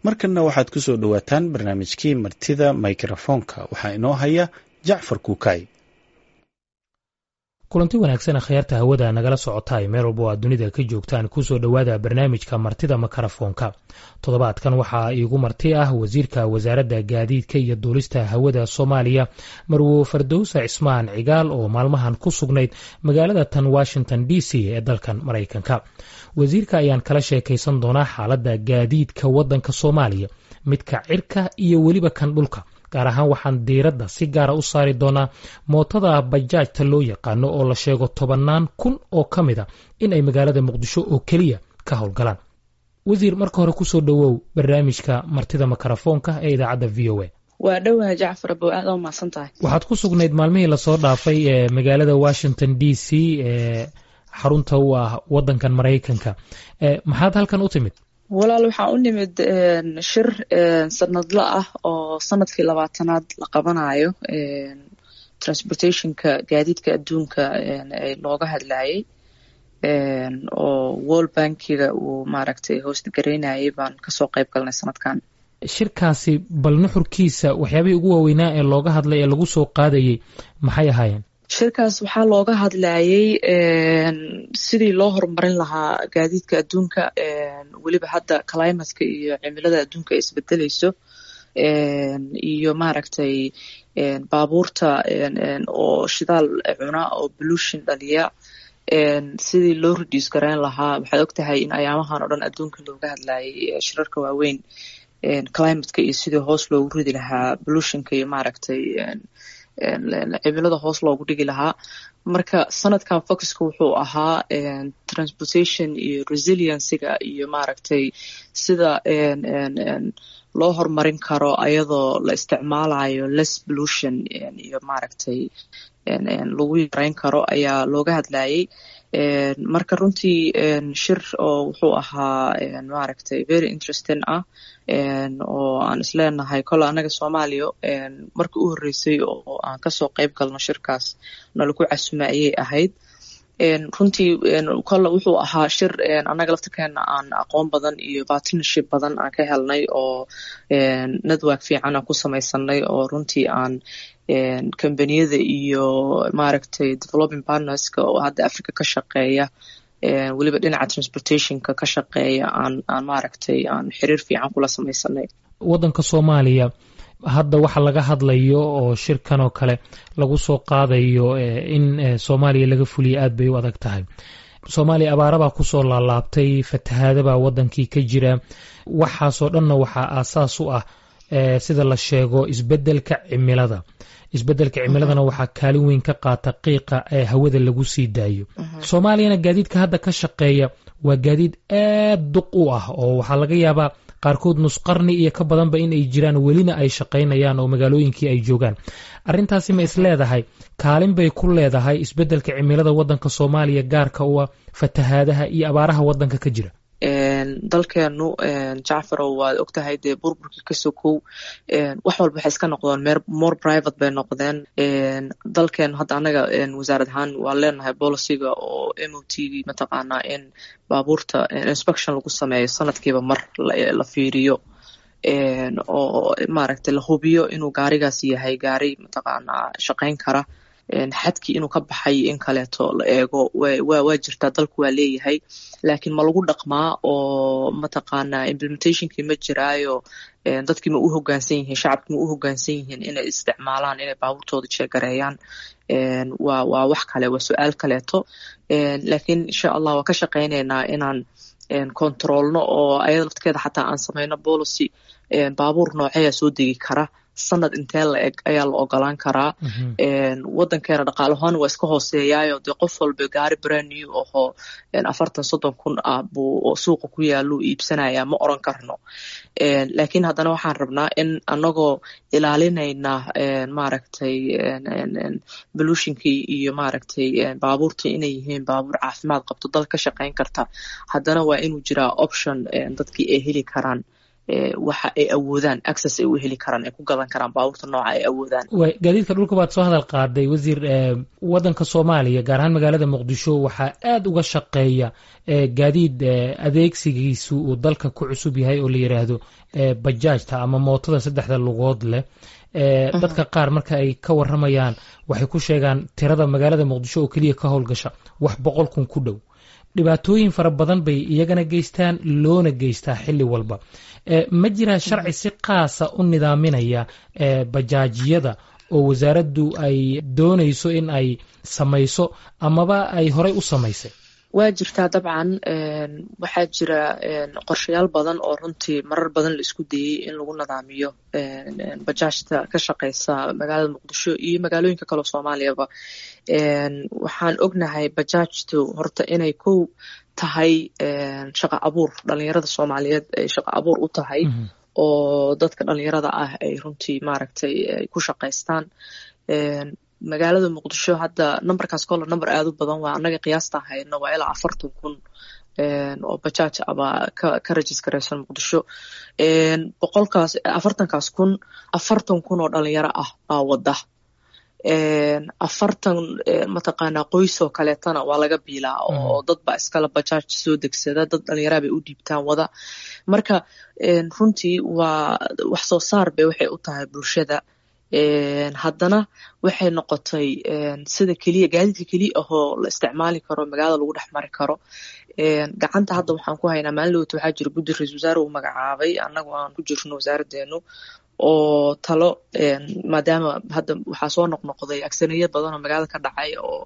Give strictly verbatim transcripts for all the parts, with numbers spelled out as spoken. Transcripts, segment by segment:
Markanna waxaad ku soo dhowaataan barnaamijkii Martida Mikrofoonka. Waxaa inoo haya Jacfar Kuukay. Kulanti wanaagsan, akhyaarta hawada nagala socotaay meel walba oo aad dunida ka joogtaan, kusoo dhowaada barnaamijka Martida Makarafoonka. Toddobaadkan waxaa iigu marti ah wasiirka wasaaradda gaadiidka iyo duulista hawada Soomaaliya, Marwo Fardowsa Cismaan Cigaal, oo maalmahan ku sugnayd magaalada tan Washington D C ee dalkan Maraykanka. Wasiirka ayaan kala sheekaysan doonaa xaaladda gaadiidka waddanka Soomaaliya, midka cirka iyo weliba kan dhulka. Gaar ahaan waxaan diiradda si gaara u saari doonaa mootada bajaajta loo yaqaano, oo la sheego tobannaan kun oo ka mid a in ay magaalada Muqdisho oo keliya ka howlgalaan. Wasiir, marka hore kusoo dhowow barnaamijka Martida Makarafoonka ee idaacadda V O A. Waa dhowaha, Jacfar abow, aad oo mahadsan tahay. Waxaad ku sugnayd maalmihii lasoo dhaafay ee magaalada Washington D C ee xarunta u ah waddankan Maraykanka. Maxaad halkan u timid? Walaal, waxaan u nimid shir sanadla ah oo sanadkii labaatanaad la qabanayo, transportationka, gaadiidka adduunka looga hadlayay, oo World Bankiga uu maaragtay host garaynayay baan kasoo qayb galnay sanadkan. Shirkaasi bal nuxurkiisa, waxyaabihii ugu waaweynaa ee looga hadlay ee lagu soo qaadayay maxay ahaayeen? Shirkaas waxaa looga hadlayay sidii loo horumarin lahaa gaadiidka adduunka, weliba hadda climateka iyo cimilada adduunka ay isbedeleyso, iyo maaragtay baabuurta oo shidaal cuna oo pollution dhaliya sidii loo reduce garayn lahaa. Waxaad ogtahay in ayaamahan oo dhan adduunka looga hadlayay shirarka waaweyn climateka iyo sidii hoos loogu ridi lahaa pollutionka iyo maaragtay cimilada hoos loogu dhigi lahaa. Marka sanadkan focuska wuxuu ahaa transportation iyo resiliencyga iyo maaragtay sida loo horumarin karo ayadoo la isticmaalayo less pollution iyo maaragtay lagu yareyn karo ayaa looga hadlayay. Marka runtii shir oo wuxuu ahaa maaragtay very interesting ah, oo aan isleenahay kole annaga Soomaaliya markii u horreysay oo aan kasoo qayb galno shirkaas nalaku casuma ayay ahayd. Runtii kole wuxuu ahaa shir annaga laftirkeena aan aqoon badan iyo partnership badan aan ka helnay, oo network fiican aan ku samaysanay, oo runtii aan kambaniyada iyo maaragtay developing partnerska oo hadda Africa ka shaqeeya, weliba dhinaca transportationka ka shaqeeya, aan aan maaragtay aan xiriir fiican kula samaysanay. Waddanka Soomaaliya hadda waxa laga hadlayo oo shirkan oo kale lagu soo qaadayo in Soomaaliya laga fuliyo aad bay u adag tahay. Soomaaliya abaarabaa kusoo laalaabtay, fatahaadabaa waddankii ka jira. Waxaasoo dhanna waxaa aasaas u ah, sida la sheego, isbeddelka cimilada. Isbeddelka cimiladana waxaa kaalin weyn ka qaata qiiqa ee hawada lagu sii daayo. Soomaaliyana gaadiidka hadda ka shaqeeya waa gaadiid aad duq u ah, oo waxaa laga yaabaa qaarkood nus qarni iyo ka badanba in ay jiraan, welina ay shaqaynayaan oo magaalooyinkii ay joogaan. Arrintaasi ma is leedahay kaalin bay ku leedahay isbeddelka cimilada waddanka Soomaaliya gaarka u ah, fatahaadaha iyo abaaraha waddanka ka jira? Dalkeenu, Jacfarow, waad ogtahay dee, burburkii ka sokow wax walba waxay iska noqdeen more private bay noqdeen. Dalkeenu hadda annaga wasaarad ahaan waa leenahay policyga oo M O T mataqaanaa in baabuurta inspection lagu sameeyo sanadkiiba mar, la fiiriyo oo maaragtay la hubiyo inuu gaarigaas yahay gaari mataqaanaa shaqayn kara, xadkii inuu ka baxay in kaleeto la eego. wa waa jirtaa, dalku waa leeyahay, laakiin ma lagu dhaqmaa oo mataqaanaa implementationkii ma jiraayo? Dadkii ma u hoggaansan yihiin? Shacabkii ma u hoggaansan yihiin inay isticmaalaan, inay baabuurtooda check gareeyaan? waa waa wax kale, waa su-aal kaleeto. Laakiin insha Allah waa ka shaqaynaynaa inaan controlno oo ayada laftirkeeda xataa aan samayno policy: baabuur nooceeya soo degi kara, sanad intee la eg ayaa la ogolaan karaa? Wadankeena dhaqaalahaan waa iska hooseeyaayo, dee qof walba gaari brand new ahoo afartan soddon kun ah buu suuqa ku yaaluu iibsanayaa, ma oran karno. Laakiin haddana waxaan rabnaa in anagoo ilaalinayna maaragtay pollutionkii iyo maaragtay baabuurtii inay yihiin baabuur caafimaad qabto, dal ka shaqayn karta, haddana waa inuu jiraa option dadkii ay heli karaan. Waxa ay awoodaan access ay u heli karaan, ay ku gadan karaan baabuurta nooca ay awoodaan. Gaadiidka dhulka baad soo hadal qaaday, wasiir. Waddanka Soomaaliya, gaar ahaan magaalada Muqdisho, waxaa aada uga shaqeeya gaadiid adeegsigiisu uu dalka ku cusub yahay oo la yidhaahdo bajaajta ama mootada saddexda lugood leh. Dadka qaar marka ay ka waramayaan waxay ku sheegaan tirada magaalada Muqdisho oo keliya ka howlgasha wax boqol kun ku dhow. Dhibaatooyin fara badan bay iyagana geystaan, loona geystaa xilli walba. Ma jiraa sharci si qaasa u nidaaminaya bajaajiyada oo wasaaraddu ay doonayso in ay samayso amaba ay horey u samaysay? Waa jirtaa dabcan. Waxaa jira qorshayaal badan oo runtii marar badan la isku dayey in lagu nidaamiyo bajaajta ka shaqeysa magaalada Muqdisho iyo magaalooyinka kaleo Soomaaliyaba. Waxaan ognahay bajaajtu horta inay kow tahay shaqa abuur, dhalinyarada Soomaaliyeed ay shaqa abuur u tahay, oo dadka dhalinyarada ah ay runtii maaragtay ay ku shaqaystaan magaalada Muqdisho. Hadda numberkaas kolle number aada u badan waa, annaga qiyaasta hayno waa ilaa afartan kun oo bajaaj aba ka ka registeraysan Muqdisho. Boqolkaas afartankaas kun, afartan kun oo dhalinyaro ah baa wada, afartan mataqaanaa qoys oo kaleetana waa laga biilaa, oo dad baa iskala bajaaj soo degsada, dad dhalinyaraa bay u dhiibtaan wada. Marka runtii waa wax soo saar bay waxay u tahay bulshada. Haddana waxay noqotay sida keliya, gaadiidka keliya ahoo la isticmaali karo, magaalada lagu dhex mari karo. Gacanta hadda waxaan ku haynaa, maalin lowta waxaa jira guddi ra-isul wasaare uu magacaabay, annagu aan ku jirno wasaaraddeenu oo talo, maadaama hadda waxaa soo noqnoqday agsaniyo badan oo magaalada ka dhacay oo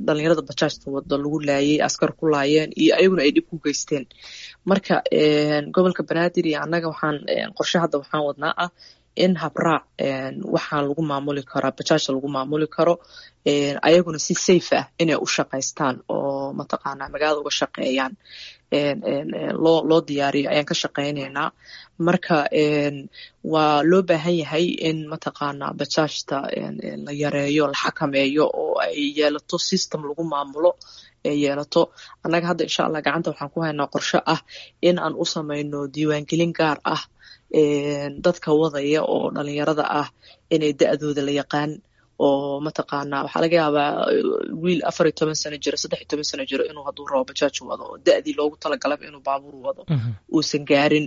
dhalinyarada bajaajta wada lagu laayay, askar ku laayeen iyo ayaguna ay dhib ku geysteen. Marka gobolka Banaadir iyo annaga waxaan qorshe hadda waxaan wadnaa ah in habraac waxaan lagu maamuli karaa bajaajta lagu maamuli karo, ayaguna si safe ah inay u shaqaystaan oo mataqaanaa magaalada uga shaqeeyaan loo loo diyaariyo ayaan ka shaqaynaynaa. Marka waa loo baahan yahay in mataqaanaa bajaajta la yareeyo, la xakameeyo oo ay yeelato system lagu maamulo ay yeelato. Annaga hadda insha Allah gacanta waxaan ku haynaa qorshe ah in aan u samayno diiwaangelin gaar ah dadka wadaya oo dhalinyarada ah, inay da-dooda la yaqaan, oo mataqaanaa waxaa laga yaabaa wiil afar iyo toban sano jiro, saddex iyo toban sano jiro inuu hadduu rabo bajaaj wado, oo da-dii loogu talagalaba inuu baabuur wado uusan gaarin.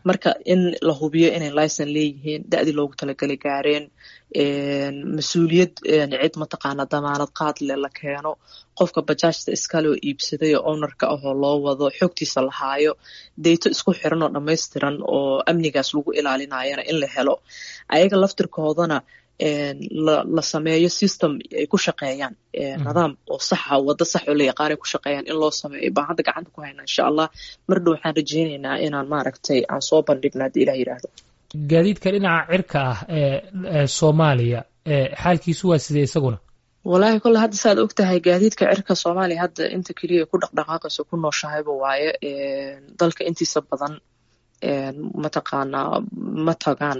Marka in la hubiyo inay licen leeyihiin, da-dii loogu talagalay gaareen, mas-uuliyad cid mataqaanaa damaanad qaad leh la keeno, qofka bajaajta iskale oo iibsaday oo ownerka ahoo loo wado xogtiisa la haayo, deyto isku xiran oo dhammaystiran oo amnigaas lagu ilaalinayana in la helo, ayaga laftirkoodana la sameeyo system ay ku shaqeeyaan, nidaam oo saxa, waddo sax oo la yaqaan ay ku shaqeeyaan in loo sameeyo baan hadda gacanta ku haynaa insha Allah. Mar dhow waxaan rajaynaynaa inaan maaragtay aan soo bandhigna haddii Ilah yidhaahdo. Gaadiidka dhinaca cirka ah ee Soomaaliya xaalkiisu waa sidee isaguna? Wallaahi kolle hadda saad og tahay gaadiidka cirka Soomaaliya hadda inta keliya ku dhaqdhaqaaqayso ku nooshahayba waaye. Dalka intiisa badan mataqaanaa ma tagaan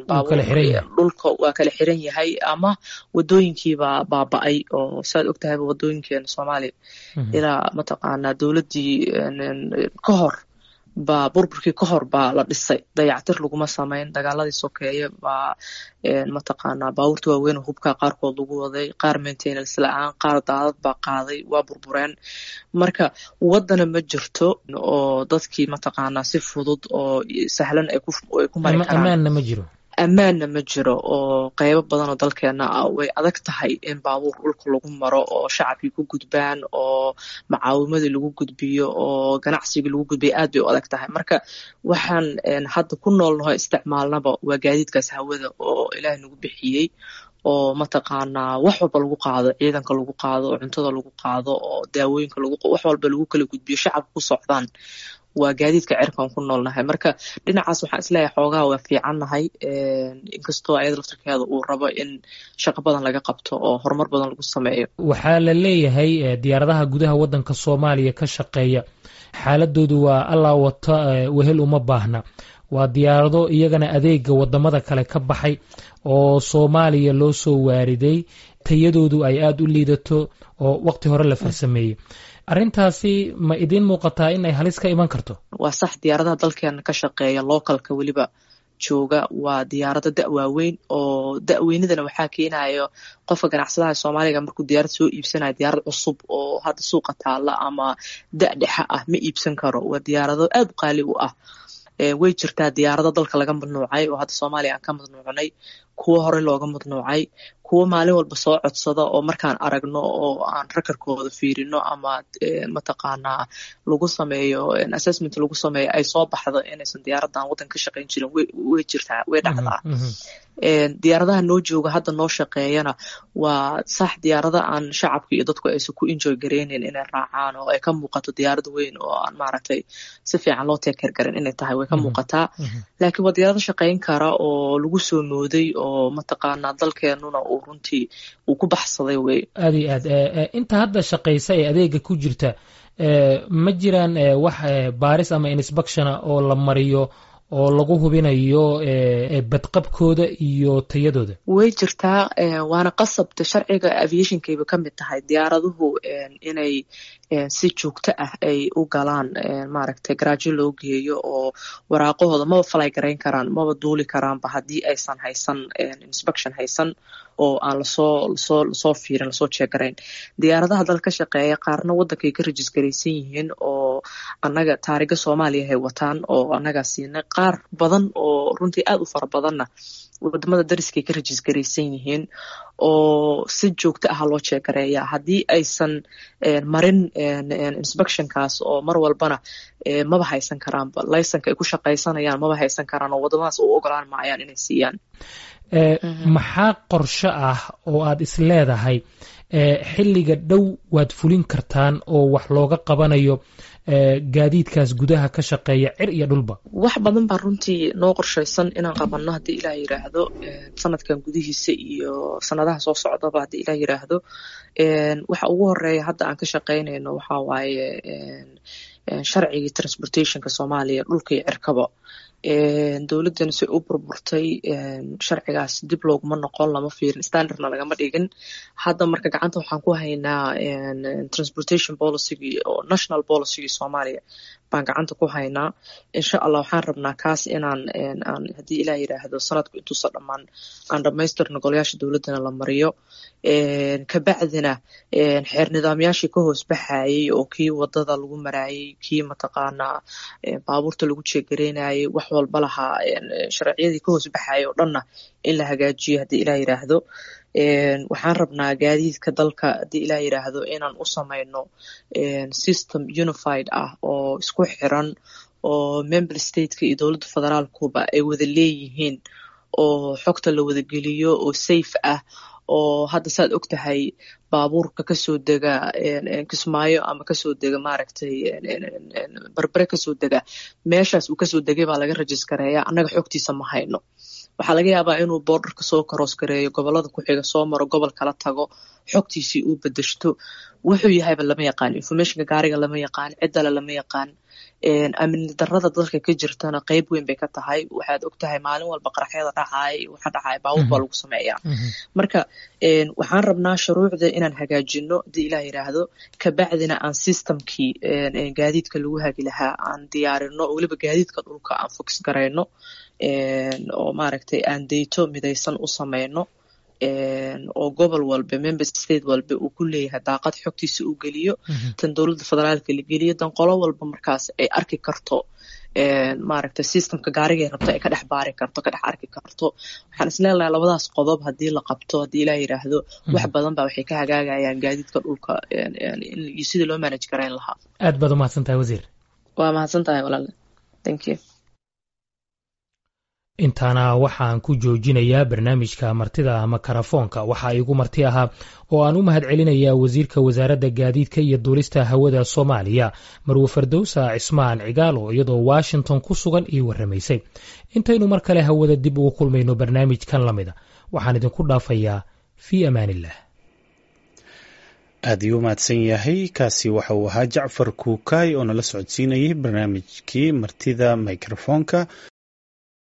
dhulka, waa kala xiran yahay ama wadooyinkiibaa baaba-ay, oo saad og tahayba wadooyinkeena Soomaaliya ilaa mataqaanaa dowladdii ka hor baa, burburkii ka hor baa la dhisay, dayactir laguma samayn. Dagaaladii sokeeye baa mataqaanaa baabuurta waaweyn oo hubkaa qaarkood lagu waday, qaar maintenance la-aan, qaar daadad baa qaaday, waa burbureen. Marka waddana ma jirto oo dadkii mataqaanaa si fudud oo sahlan ay ku mari karaan. Ammaanna ma jiro. Ammaanna ma jiro, oo qeybo badan oo dalkeena ah way adag tahay in baabuur dhulka lagu maro oo shacabkii ku gudbaan oo macaawimadii lagu gudbiyo oo ganacsigii lagu gudbiyo, aad bay u adag tahay. Marka waxaan hadda ku noolnaho isticmaalnaba waa gaadiidkaas hawada oo Ilaahay nagu bixiyey, oo mataqaanaa wax walba lagu qaado, ciidanka lagu qaado, oo cuntada lagu qaado, oo daawooyinka lagu, wax walba lagu kala gudbiyo, shacabka ku socdaan, waa gaadiidka cirkaan ku noolnahay. Marka dhinacaas waxaan isleeyahay xoogaha waa fiicannahay, inkastoo ayada laftirkeeda uu rabo in shaqo badan laga qabto oo horumar badan lagu sameeyo. Waxaa la leeyahay diyaaradaha gudaha waddanka Soomaaliya ka shaqeeya xaaladoodu waa allaa wata wehel uma baahna. Waa diyaarado iyagana adeega wadamada kale ka baxay oo Soomaaliya loo soo waariday, tayadoodu ay aada u liidato oo waqti hore la farsameeyey. Arrintaasi ma idiin muuqataa in ay halis ka iman karto? Waa sax, diyaaradaha dalkeena ka shaqeeya localka weliba jooga waa diyaarado da-waaweyn, oo da-weynidana waxaa keenayo qofka ganacsadaha Soomaaliga markuu diyaarad soo iibsanayo, diyaarad cusub oo hadda suuqa taala ama da-dhexa ah ma iibsan karo. Waa diyaarado aad u qaali u ah. Way jirtaa diyaarado dalka laga mamnuucay oo hadda Soomaaliya aan ka mamnuucnay, kuwo horey looga mamnuucay, kuwo maalin walba soo codsada oo markaan aragno oo aan rakarkooda fiirino ama mataqaanaa lagu sameeyo assessment lagu sameeyo ay soo baxdo inaysan diyaaradan waddanka ka shaqayn jirin, way jirtaa, way dhacdaa. Diyaaradaha noo jooga hadda noo shaqeeyana waa sax, diyaarada aan shacabka iyo dadku aysan ku enjoy gareynin inay raacaan oo ay ka muuqato diyaarad weyn oo aan maaragtay si fiican loo take care garin inay tahay way ka muuqataa, laakiin waa diyaarado shaqayn kara oo lagu soo mooday oo mataqaanaa dalkeenuna uu runtii uu ku baxsaday wey. Aad iyo aad. Inta hadda shaqaysa ee adeega ku jirta, ma jiraan wax baaris ama inspectiona oo la mariyo oo lagu hubinayo badqabkooda iyo tayadooda? Way jirtaa, waana qasabta sharciga aviationkayba ka mid tahay diyaaraduhu inay si joogto ah ay u galaan maaragtay garaajo loo geeyo oo waraaqahooda maba fly garayn karaan, maba duuli karaanba haddii aysan haysan inspection haysan oo aan lasoo lasoo lasoo fiirin, lasoo check garayn. Diyaaradaha dalka ka shaqeeya qaarna waddankay ka registeraysan yihiin oo annaga taariga Soomaaliya hay wataan oo annagaa siinay, qaar badan oo runtii aad u fara badanna wadamada dariskay ka registeraysan yihiin oo si joogto ah loo check gareeyaa. Haddii aysan marin inspectionkaas oo mar walbana maba haysan karaanba laysanka ay ku shaqaysanayaan, maba haysan karaan oo wadamadaas u ogolaan maayaan inay siiyaan. Maxaa qorsho ah oo aad is leedahay xilliga dhow waad fulin kartaan oo wax looga qabanayo gaadiidkaas gudaha ka shaqeeya cir iyo dhulba? Wax badan baa runtii noo qorshaysan inaan qabanno haddii Ilaah yiraahdo, sanadkan gudihiisa iyo sanadaha soo socdaba haddii Ilaah yiraahdo. Waxa ugu horeeya hadda aan ka shaqaynayno waxaa waaye sharcigii transportationka Soomaaliya, dhulka iyo cirkaba. Dowladdana si u burburtay sharcigaas dib looguma noqon, lama fiirin, standardna lagama dhigin. Hadda marka gacanta waxaan ku haynaa transportation policygii oo national policygii Soomaaliya baan gacanta ku haynaa. Insha Allah waxaan rabnaa kaas inaan aan haddii Ilaah yiraahdo sanadku intuusa dhammaan aan dhammaystirno, golayaasha dowladdana la mariyo, kabacdina xeer nidaamyaashii ka hoos baxayay oo kii wadada lagu maraayay, kii mataqaanaa baabuurta lagu check gareynayay, wax walba lahaa, sharciyadii ka hoos baxayay oo dhanna in la hagaajiyo haddii Ilaah yiraahdo. Waxaan rabnaa gaadiidka dalka haddii Ilaah yiraahdo inaan u samayno system unified ah oo isku xiran oo member stateka iyo dowladda federaalkuba ay wada leeyihiin oo xogta la wada geliyo oo safe ah, oo hadda saad og tahay baabuurka kasoo dega Kismaayo ama kasoo dega maaragtay Barbare kasoo dega, meeshaas uu kasoo degay baa laga registareeya, annaga xogtiisa ma hayno. Waxaa laga yaabaa inuu borderka soo cross gareeyo, gobolada ku xiga soo maro, gobol kala tago, xogtiisii uu bedeshto, wuxuu yahayba lama yaqaan, informationka gaariga lama yaqaan, ciddale lama yaqaan. Amni darada dalka ka jirtana qeyb weyn bay ka tahay. Waxaad og tahay maalin walba qaraxyada dhacaya iyo waxa dhacaya baabuur baa lagu sameeyaa. Marka waxaan rabnaa shuruucda inaan hagaajino haddii Ilaah yiraahdo, kabacdina aan systemkii gaadiidka lagu hagi lahaa aan diyaarino, weliba gaadiidka dhulka aan focus garayno oo maaragtay aan dayto midaysan u sameyno oo gobol walba, member state walba uu ku leeyahay daaqad xogtiisa uu geliyo, tan dowladda federaalka la geliyo, dan qolo walba markaas ay arki karto maaragtay systemka gaarigay rabto ay ka dhex baari karto, ka dhex arki karto. Waxaan isleelahay labadaas qodob haddii la qabto haddii Ilaah yiraahdo, wax badan baa waxay ka hagaagayaan gaadiidka dhulka iyo sidii loo manage garayn lahaa. Aad baad umahadsan tahay, wasiir. Waa mahadsan tahay walaale, thank you. Intaana waxaan ku joojinayaa barnaamijka martida makarafoonka. Waxaa igu marti ahaa oo aan u mahad celinayaa wasiirka wasaaradda gaadiidka iyo duulista hawada Soomaaliya, Marwe Fardowsa Cismaan Cigaalo, iyadoo Washington ku sugan ii warramaysay. Intaynu mar kale hawada dib ugu kulmayno barnaamijkan la mida, waxaan idinku dhaafayaa fii amaaniillah. Aad ayuu umahadsan yahay. Kaasi waxa uu ahaa Jacfar Kuukaay oo nala socodsiinayay barnaamijkii martida mikrofoonka.